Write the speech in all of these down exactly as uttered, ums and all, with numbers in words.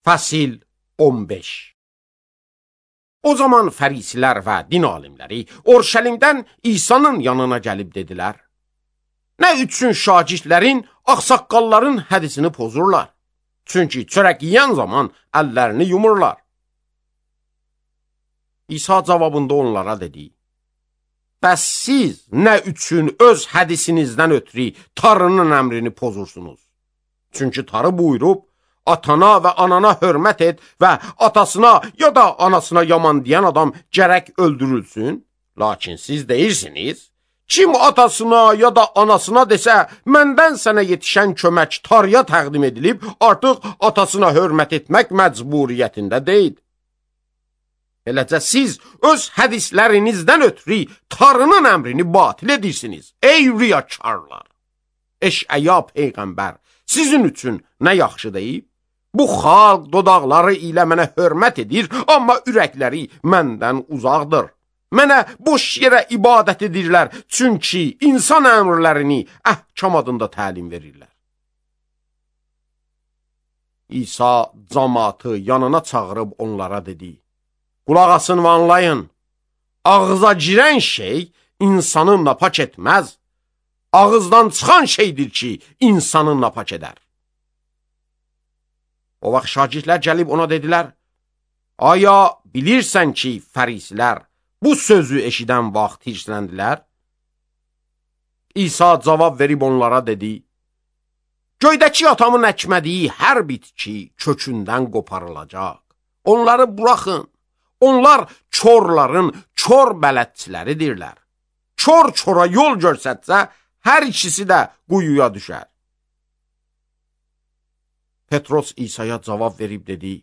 Fəsil on beş. O zaman fərisilər və din alimləri Orşəlimdən İsa'nın yanına gəlib dedilər: Nə üçün şagirdlərin, ağsaqqalların hədisini pozurlar? Çünki çörək yeyən zaman əllərini yumurlar. İsa cavabında onlara dedi: Bəs siz nə üçün öz hədisinizdən ötürü Tanrının əmrini pozursunuz? Çünki Tanrı buyurub, atana və anana hörmət et və atasına ya da anasına yaman deyən adam gərək öldürülsün. Lakin siz deyirsiniz, kim atasına ya da anasına desə, məndən sənə yetişən kömək Tanrıya təqdim edilib, artıq atasına hörmət etmək məcburiyyətində deyil. Beləcə siz öz hədislərinizdən ötürü Tanrının əmrini batil edirsiniz, ey riyakarlar! Eşəya peyğəmbər sizin üçün nə yaxşı deyib? Bu xalq dodaqları ilə mənə hörmət edir, amma ürəkləri məndən uzaqdır. Mənə boş yerə ibadət edirlər, çünki insan əmrlərini əhkam adında təlim verirlər. İsa cəmaatı yanına çağırıb onlara dedi: Qulaq asın və anlayın, ağıza girən şey insanı napak etməz, ağızdan çıxan şeydir ki, insanı napak edər. O vaxt şagirdlər gəlib ona dedilər: Aya bilirsən ki, fərisilər bu sözü eşidən vaxt hirsləndilər? İsa cavab verib onlara dedi: Göydəki atamın əkmədiyi hər bitki kökündən qoparılacaq. Onları buraxın. Onlar çorların çor bələdçiləridirlər. Çor çora yol görsətsə, hər ikisi də quyuya düşər. Petros İsa'ya cavab verib dedi: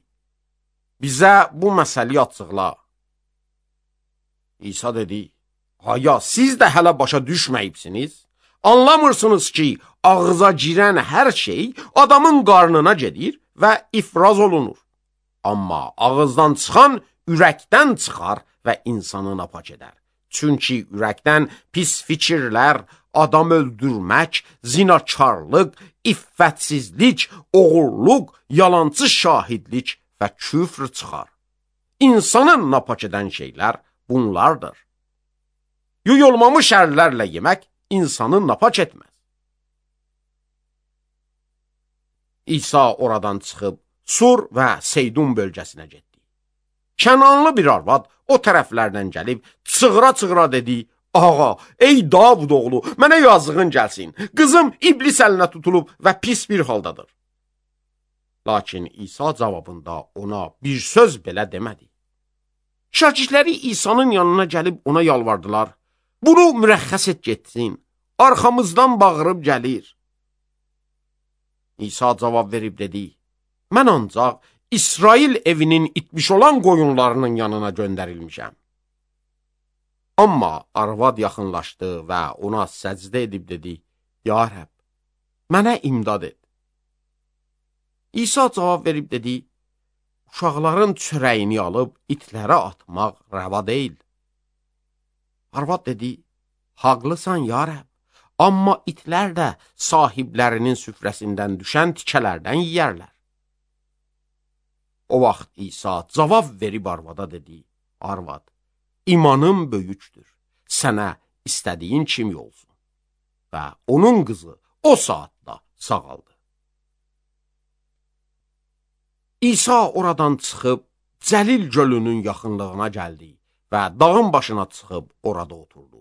Bizə bu məsəli açıqla. İsa dedi: Aya, siz də hələ başa düşməyibsiniz? Anlamırsınız ki, ağıza girən hər şey adamın qarnına gedir və ifraz olunur. Amma ağızdan çıxan ürəkdən çıxar və insanı napak edər. Çünki ürəkdən pis fikirlər, adam öldürmək, zinakarlıq, iffətsizlik, oğurluq, yalancı şahidlik və küfr çıxar. İnsanı napak edən şeylər bunlardır. Yuyulmamış əllərlə yemək insanı napak etməz. İsa oradan çıxıb Sur və Seydun bölgəsinə getdi. Kənanlı bir arvad o tərəflərdən gəlib çığıra-çığıra dedi: Ağa, ey Davud oğlu, mənə yazığın gəlsin. Qızım iblis əlinə tutulub və pis bir haldadır. Lakin İsa cavabında ona bir söz belə demədi. Şagirdləri İsa'nın yanına gəlib ona yalvardılar: Bunu mürəxxəs et getsin, arxamızdan bağırıb gəlir. İsa cavab verib dedi: Mən ancaq İsrail evinin itmiş olan qoyunlarının yanına göndərilmişəm. Amma arvad yaxınlaşdı və ona səcdə edib dedi: Ya Rəbb, mənə imdad et. İsa cavab verib dedi: Uşaqların çörəyini alıb itlərə atmaq rəva deyil. Arvad dedi: Haqlısan ya Rəbb, amma itlər də sahiblərinin süfrəsindən düşən tikələrdən yiyərlər. O vaxt İsa cavab verib arvada dedi: Arvad, imanım böyükdür, sənə istədiyin kimi olsun. Və onun qızı o saatda sağaldı. İsa oradan çıxıb Cəlil gölünün yaxınlığına gəldi və dağın başına çıxıb orada oturdu.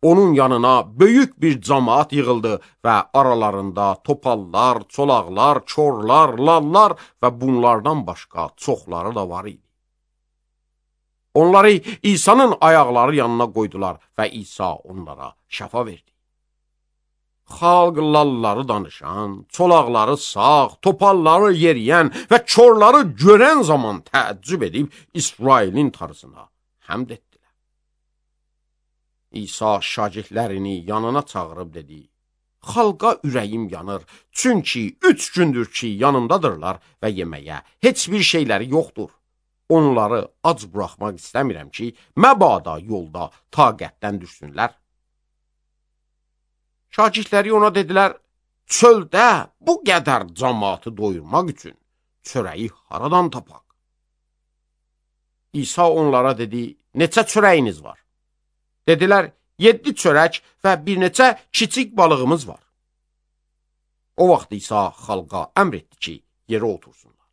Onun yanına böyük bir cəmaat yığıldı və aralarında topallar, çolaqlar, korlar, lallar və bunlardan başqa çoxları da var idi. Onları İsa'nın ayaqları yanına qoydular və İsa onlara şəfa verdi. Xalq lalları danışan, çolaqları sağ, topalları yeriyən və korları görən zaman təəccüb edib İsrailin Tanrısına həmd etdilər. İsa şagirdlərini yanına çağırıb dedi: Xalqa ürəyim yanır, çünki üç gündür ki yanımdadırlar və yeməyə heç bir şeyləri yoxdur. Onları ac buraxmaq istəmirəm ki, məbada yolda taqətdən düşsünlər. Şagirdləri ona dedilər: Çöldə bu qədər cəmaatı doyurmaq üçün çörəyi haradan tapaq? İsa onlara dedi, neçə çörəyiniz var? Dedilər, yeddi çörək və bir neçə kiçik balığımız var. O vaxt İsa xalqa əmr etdi ki, yerə otursunlar.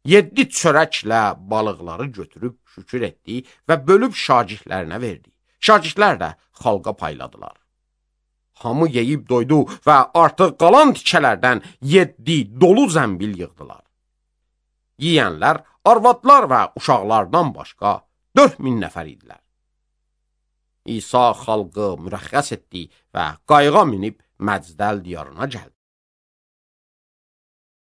Yeddi çörəklə balıqları götürüb şükür etdi və bölüb şagirdlərinə verdi. Şagirdlər də xalqa payladılar. Hamı yeyib doydu və artıq qalan tikələrdən yeddi dolu zəmbil yığdılar. Yiyənlər, arvadlar və uşaqlardan başqa dörd min nəfər idilər. İsa xalqı mürəxxəs etdi və qayığa minib Məcdəl diyarına gəldi.